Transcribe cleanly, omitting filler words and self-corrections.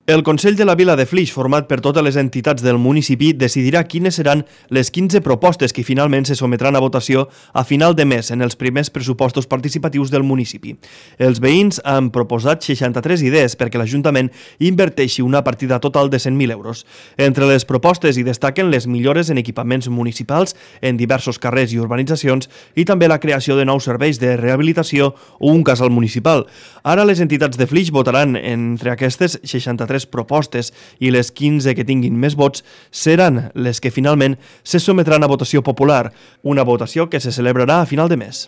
El Consell de la Vila de Flix, format per totes les entitats del municipi, decidirà quines seran les 15 propostes que finalment se sometran a votació a final de mes en els primers pressupostos participatius del municipi. Els veïns han proposat 63 idees perquè l'Ajuntament inverteixi una partida total de 100.000 euros. Entre les propostes hi destaquen les millores en equipaments municipals en diversos carrers i urbanitzacions i també la creació de nous serveis de rehabilitació o un casal municipal. Ara les entitats de Flix votaran entre aquestes 63 propostes i les 15 que tinguin més vots seran les que finalment se sometran a votació popular, una votació que se celebrarà a final de mes.